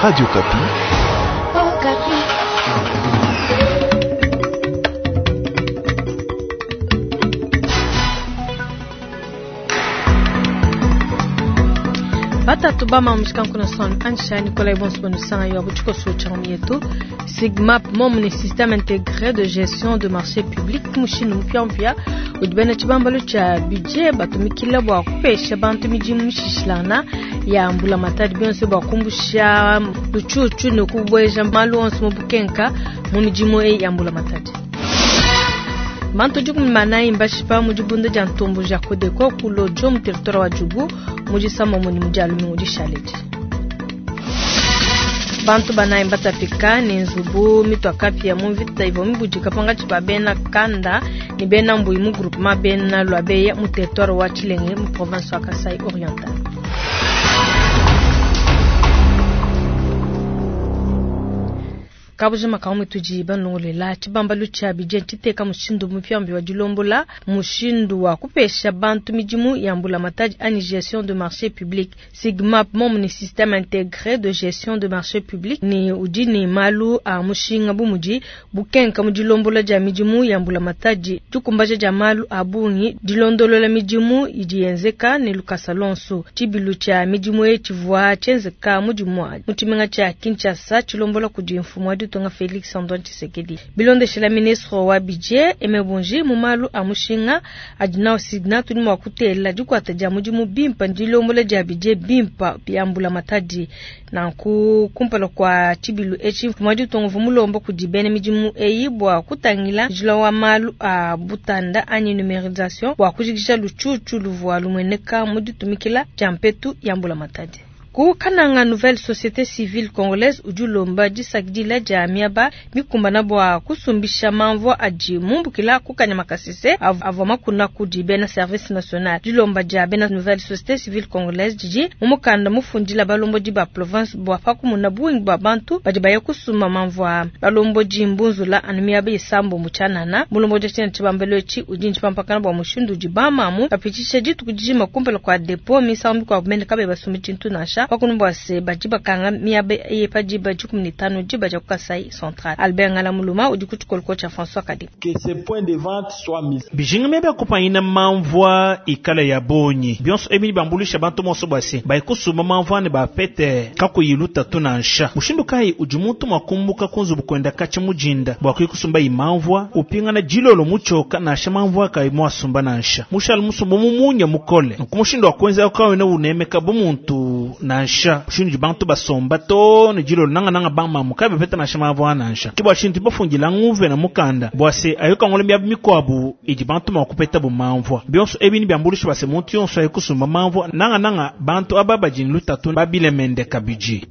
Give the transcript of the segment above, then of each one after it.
Radio Okapi. Oh, Batatu bama mushikanku son ansha Nicolas Bonso Bonusanga yo butiko so yetu Sigmap mom ni système intégré de gestion de marché public mushindu mpya udi bena tshibambalu tshia budget batumikila bua kupesha bantu midimu mishishilana ya mbulamatadi bionso bua kumbusha lutshutshu ne kubueja malu onso mu bukenka mu midimu eyi ya mbulamatadi. Bantu 14 mbashipa mu dibunda dia ntombo dia Kodeko ku Lodjo mu territoire wa Djugu mu disamba mu dia lumingu dishaledi. Bantu banayi mbatapika ne nzubu mitua kapia mu mvita ivua mibudika pangatshi pa bena kanda ne bena mbuyi mu groupement bena Lwabeya mu territoire wa Tshilenge mu province wa Kasai Oriental. Kabujima kamwe tudi banongolela tshibambalu tshia budget tshiteka mushindu mupyambi wa dilombola mushindu wa kupesha bantu midimu ya mbulamatadi anyi gestion de marché public. Sigmap mom ni système intégré de gestion de marché public ni udi ni malu a mushinga bumudi bukenka mu dilombola dia midimu ya mbulamatadi dikumbaja dia malu a bungi dilondolola midimu idi yenzeka ne lukasa lonso. Tshibilu tshia midimu eyi tshivua tshienzeka mudimu mu tshimenga tshia Kinshasa tshilombola kudi mfumu wa ditunga Felix Antoine Tshisekedi. Bilondeshela ministre wa budget Aimé Boji mu malu a mushinga adi nawu Signa tudi mua kutela dikuata dia mudimu bimpa dilombola dia budget bimpa bia mbulamatadi. Nanku kumpala kwa tshibilu etshi mfumu wa ditunga uvua mulomba kudi bena midimu eyi bua kutangila njila wa malu a butanda anyi numerisation bua kujikija lutshutshu luvua lumueneka mu ditumikila dia mpetu ya mbulamatadi. Ku Kananga Nouvelle Société Civile Congolaise udi ulomba disakidila dia miaba mikumbana bua kusumbisha mamvua adi mumbukila ku Kanyama Kasese avua makuna kudi bena service national. Dilomba dia bena Nouvelle Société Civile Congolaise didi mu mukanda mufundila balombodi ba province bua pakumuna bungi bua bantu badi baya kusumba mamvua. Balombodi mbunzula anu miaba isambo mu tshianana. Mulombodi wa tshibambelo etshi udi ntshipampakana bua mushindu udi bamamu bapitshisha dituku dijima kumpala kua depot misangu mikuabu mene kabayi basumba tshintu nansha. Pakunumbwa se badi bakanga miaba eyi pa diba 15 diba dia ku Kasai Central. Albert Ngala Muluma udi ku tshikoloko tshia François Kadi. Que ces points de vente soient mis. Bijinga miaba ya kupanyina mamvua ikala ya bonyi. Bionso ebi bambulisha bantu monso bua se bayikusumba mamvua ne bapete kakuyi lutatu nansha. Mushindu kayi udi muntu mwakumbuka ku nzubu kwenda katshi mujinda bua kuyikusumba imamvua upingana dilolo mutshoka nansha mamvua kayi mwasumba nansha. Mushali musumba mumunya mukole. Nku mushindu wa kuenza kawena unemeka bu muntu nansha. Mushindu bantu basomba to ne dilolo nanga nanga bamamu kayi bapeta nansha mamvua nansha. Kibwa shintu bafundila nguve na mukanda bua se ayoka ngole miaba mikuabu idi bantu mwakupeta bu mamvua. Bionso ebi ni byambulisha base muntu yonso ayikusumba mamvua nanga nanga bantu aba bajini lutatu babilemende kabiji.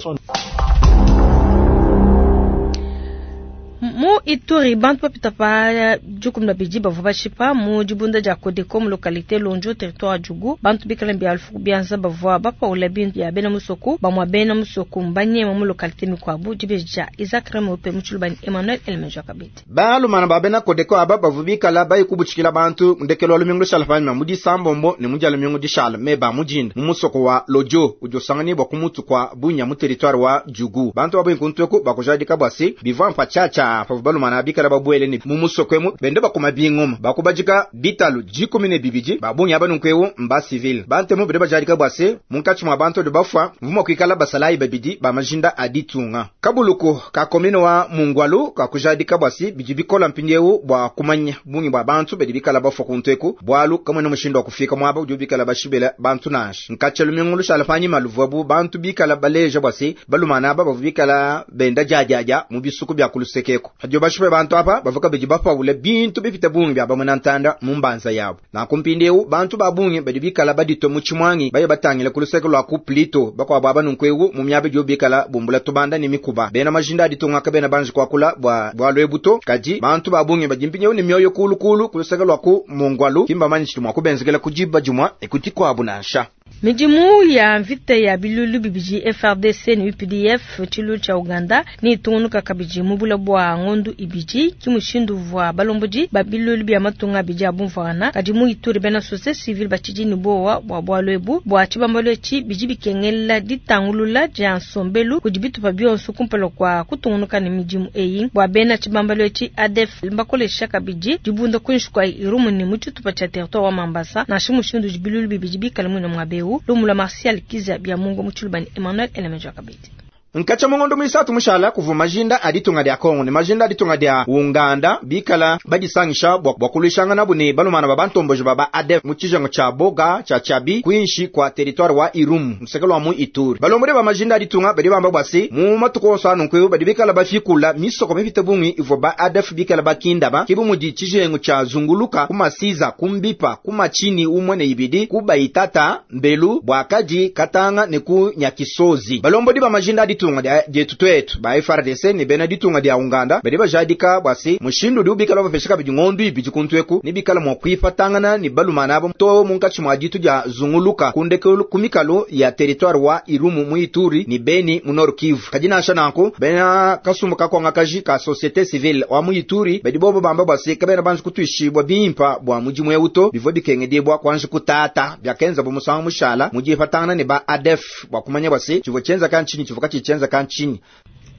Mu Ituri bantu bapita pa 12 bavua bashipa mu dibunda dia Kodeko mu localité Lonjo territoire Djugu. Bantu bikala bia alfu bianza bavua bapaula bintu ya bena musoku bamwa bena musoku mbanyema mu localité mikuabu dibeja Isaac Remope mu Tshilubani Emmanuel Elmejo Kabete. Balumana ba bena Kodeko aba bavua bikala bayikubutshikila bantu ndekelo lumingu lushala panyima mu disambombo ne mu dia lumingu dishala meba mujinda mu musoko wa Lojo udi usanganibwa ku mutu kwa Bunya mu territoire wa Djugu. Bantu babu inkuntueku bakujadika bua se bivua mpatshatsha pavu balumana bikala babuele ne mu musoko emu bende bakuma bingoma bakubajika bitalu 12 babungi aba nunkuewu mba civil. Bantemu bende bajadika bua se munkatshi mua bantu bafua mvuma kuikala basalayi babidi ba majinda aditunga. Kabuluku ka komine wa Mungwalu kakujadika bua se bidi bikola mpindiewu bua kumanya bungi bua bantu badi bikala bafua kuntueku bualu kamwena mushindu wa kufika muaba udi bikala bashibela bantu nansha. Nkatsha lumingu lushala panyima luvuabu bantu bikala baleja bua se balumana aba bavua bikala benda diadiadia mu bisuku bia kulusekeko. Hadio bashipe bantu apa bavuka bidi bapaula bintu bipita bungi bya bamwe ntanda mu mbanza yabo. Na kumpindiewu bantu ba bungi badi bikala badito mu tshimwangi baye batangila kuluseke lwa ku Plito bakwabo aba nunkuewu mu miaba idi bikala bumbula tubanda ne mikuba. Bena majinda aditunga kabena banji kwakula bua bua lwebuto kadi bantu ba bungi badi mpindiewu ne mioyo kulu kulu kuluseke lwa ku Mungwalu kimba manyishi mwa kubenzekela kujiba jumwa ekuti kwabu nansha. Midimu ya mvita ya biluilu bibidi FARDC ne UPDF tshiluilu tshia Uganda neyitungunuka kabidi mu bule bua ngondu ibidi. Ki mushindu uvua balombodi ba biluilu bia matunga abidi a bumvuangana. Kadi mu Ituri bena societe civile batshidi ne buowa bua bualu ebu. Bua tshibambalu etshi bidi bikengela ditangulula dia nsombelu kudi bitupa bionso kumpala kua kutungunuka ne midimu eyi. Bua bena tshibambalu etshi ADF mbakolesha kabidi dibunda kuinshi kua Irumu ne mu tshitupa tshia territoire wa Mambasa nansha mushindu udi biluilu bibidi bikale muine muaba eu. Lumu lua Martial Kizza Biamungu mu Tshiluba ne Emmanuel Elemejo kabidi. Nkatsha mu ngondo muisatu mushala kuvua majinda a ditunga dia Kongo ne majinda a ditunga dia Uganda bikala badisangisha bua bua kuluishanganabu ne balumana ba bantomboji ba ba ADF mu tshijengu tshia Boga tshia Tshiabi kuinshi kua territoire wa Irumu luseke lua mu Ituri. Balombodi ba majinda a ditunga badi bamba bua se mu matuku onso a nunku eu badi bikala bafikula misoko mipite bungi ivua ba ADF bikala bakindaba ke bu mudi tshijengu tshia Zunguluka ku Masiza ku Mbipa ku Machini umue ne ibidi ku Baitata Mbelu Buakadi Katanga ne ku Nyakisozi. Balombodi ba majinda a ditunga dia dietu tuetu ba FARDC ne bena ditunga dia Uganda badi bajadika bua se mushindu udibu bikala bapesha kabidi ngondu ibidi kuntu eku ne bikala mua kuipatangana ne balumana aba too munkatshi mua ditu dia Zunguluka ku ndekelu ku mikalu ya territoire wa Irumu mu Ituri ne Beni mu Nord Kivu. Kadi nansha nanku bena kasumbu kakuangakaji ka societe civile wa mu Ituri badi bobo bamba bua se kabena banji kutuishibua bimpa bua mudimu eu to, bivua bikengedibua kuanji kutata biakenzabu musangu mushala mu dipatangana ne ba ADF bua kumanya bua se tshivua tshienzeka ntshinyi tshivua katshiyi tshienzeka ntshinyi.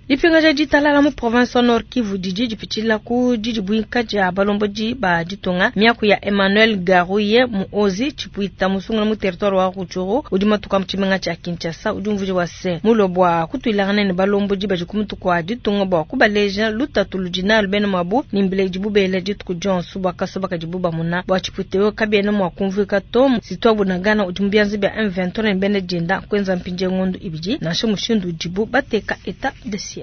Dipingaja ditalala mu province wa Nord Kivu didi dipitshila ku didibuinka dia balombodi ba ditunga. Miaku ya Emmanuel Garouye Muozi Tshipuita musungula mu territoire wa Rutshuru udi matuka mu tshimenga tshia Kinshasa udi umvuija bua se mulue bua kutuilangana ne balombodi badi ku mutu kua ditunga bua kubaleja lutatu ludi nalu bena muabu ne mbila idibu bela dituku dionso bua kasoba kadibu bamuna. Bua Tshipuita eu kabiena mua kumvuika to Sitwa Bunagana udi mu bianza bia M23 ne bena dienda kuenza mpindieu ngondo ibidi nansha mushindu udibu bateka etat de siège.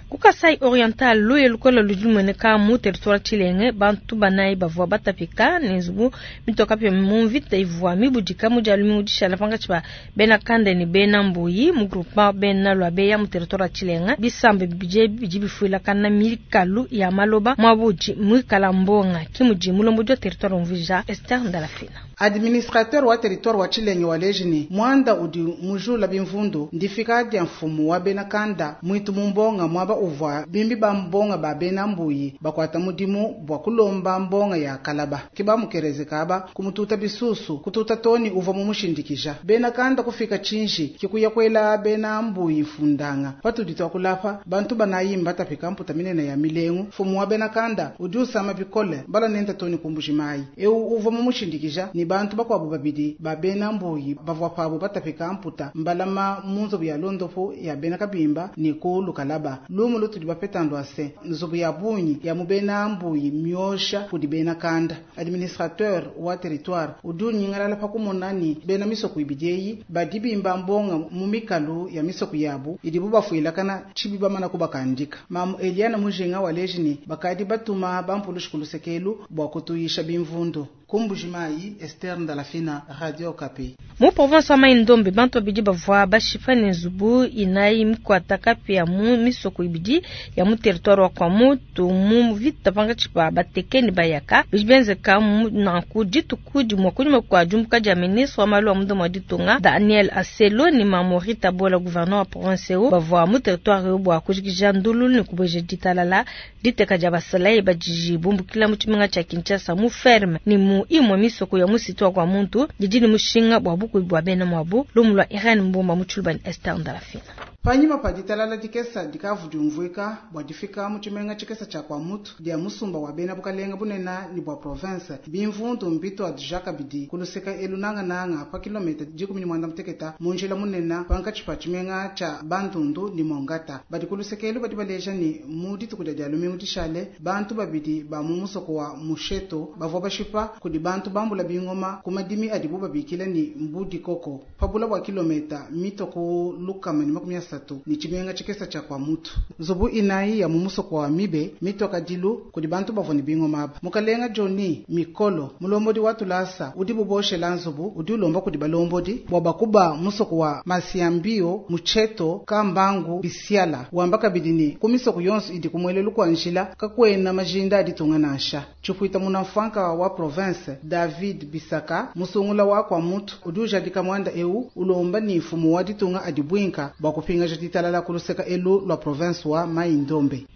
Ku Kasai Oriental, luya lukola ludi lumueneka mu territoire Tshilenge. Bantu banayi bavua batapika ne nzubu mitua kapia mu mvita ivua mibudika mu dia lumingu dishala pankatshi pa bena Kande ne bena Mbuyi mu groupement bena Luabeya mu territoire wa Tshilenge. Bisamba bibidi ebi bidi bifuilakana mikalu ya maloba muaba udi muikala mbonga, ke mudi mulombodi wa territoire umvuija. Esther Ndalafina. Administrateur wa territoire wa Tshilenge waleji ne muanda udi mujula bimvundu ndifika dia mfumu wa bena Kanda muitu mu mbonga muaba uvua bimbi ba mbonga ba bena Mbuyi bakuata mudimu bua kulomba mbonga ya kalaba. Ke bamukereze kaba kumututa bisusu kututa toni uvua mumushindikija. Bena Kanda kufika tshinji ke kuya kuela bena Mbuyi mfundanga. Patudi tuakulapa bantu banayi mbatapika mputa minene ya milengu. Mfumu wa bena Kanda udi usama bikole balua nenda toni ku Mbujimayi. Eu uvua mumushindikija ne bantu bakuabu babidi ba bena Mbuyi bavua pabu batapika mputa mbalama mu nzubu ya londopu ya bena Kabimba ne ku Lukalaba. Lumu lutudi bapeta ndua se, nzubu ya bungi ya mu bena Mbuyi miosha kudi bena Kanda. Administrateur wa territoire udi unyingalala pa kumona ne bena misoko ibidi eyi badi bimba mbonga mu mikalu ya misoko yabu idibu bafuilakana tshibi bamana kubakandika. Mamu Eliane Mujinga waleji ne bakadi batuma bampulushi ku lusekelu bua kutuyisha bimvundu. Ku Mbujimayi, Esther Ndalafina, Radio Okapi. Mu province wa Mai-Ndombe, bantu babidi bavua bashipa ne nzubu inayi mikuata kapia mu misoko ibidi ya mu territoire wa Kwamouth mu mvita pankatshi pa Bateke ne Bayaka. Bidi bienzeka nanku dituku dimue kunyima kua diumbuka dia ministre wa malu a munda mua ditunga Daniel Aselo ne Mamori Tabola, gouverneur wa province eu, bavua mu territoire eu bua kujikija ndululu ne kubueja ditalala. Diteka dia basalayi badi bumbukila mu tshimenga tshia Kinshasa mu ferme ne mu imue misoko ya mu site wa Kwamuntu didi ne mushinga bua bukubi bua bena muabu. Lumu lua Irene Mbomba mu Tshiluba ne Esther Ndalafina. Panyima pa ditalala dikesa dikavu diumvuika bua difika mu tshimenga tshikesa tshia Kwamouth dia musumba wa bena bukalenga bunena ne bua province, bimvundu mbituadija kabidi ku luseka elu nangananga pa kilometa 16 mu njila munena pankatshi pa tshimenga tshia Bandundu ne Mongata. Badi ku luseke elu badi baleja ne mu dituku dia dia lumingu dishale bantu babidi ba mu musoko wa Musheto bavua bashipa kudi bantu bambula bingoma ku madimi adibu babikila ne Mbudikoko pa bula bua kilometa mitue ku 130. isatu ni tshimenga tshikesa tshia Kwamouth. Nzubu inayi ya mu musoko wa Mibe mitua kadilu kudi bantu bavua ne bingoma aba. Mukalenga Johnny Mikolo, mulombodi wa tulasa udi buboshela nzubu udi ulomba kudi balombodi bua bakuba musoko wa Masiambio, Mucheto, Kambangu, Bisiala. Wamba kabidi ni ku misoko yonso idi kumwelelu kwa njila kakwena majinda aditunga nansha. Tshipuita munamfanka wa province David Bisaka musungula wa Kwamouth udi ujadika mwanda eu ulomba ni mfumu wa ditunga adibwinka bua kupingaja ditalala kuluseka elu lwa province wa Mai-Ndombe.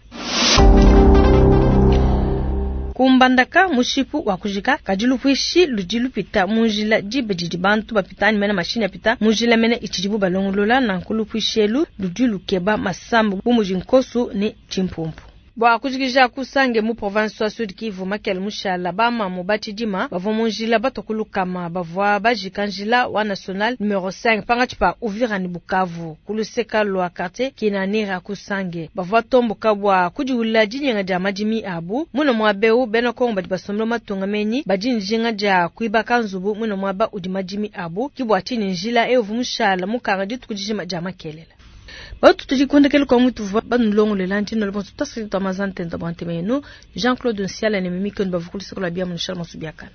Kumbandaka mushipu wa kujika kadi lupuishi ludi lupita mu njila diba didi bantu bapita anyi mene mashini apita mu njila mene itshidibu balongolola nanku lupuishi elu ludi lukeba masambu bu mudi nkosu ne tshimpumpu. Bua kujikija kusange mu province wa Sud Kivu Makele Mushala bamamu batshidima bavua mu njila batua ku lukama bavua bajika njila wa national numero 5 pangatshi pa Uvira ne Bukavu ku luseka lua quartier Kinanira kusange bavua tomboka bua kudiwula dinyenga dia madimi abu muna muaba eu bena Kongo badi basombela matunga menyi badi njinga dia kuibaka nzubu muna muaba udi madimi abu ki bua tshinyi njila eu uvua mushala mukanga dituku dijima dia makelela. Batu tujikundekele kwa mutu vwa banulongolela ntino le bonso tasiri twa mazante ndo bante menu Jean-Claude Nsiala ne Mimi Kono bavukulu sikola bia munishala masubiakana.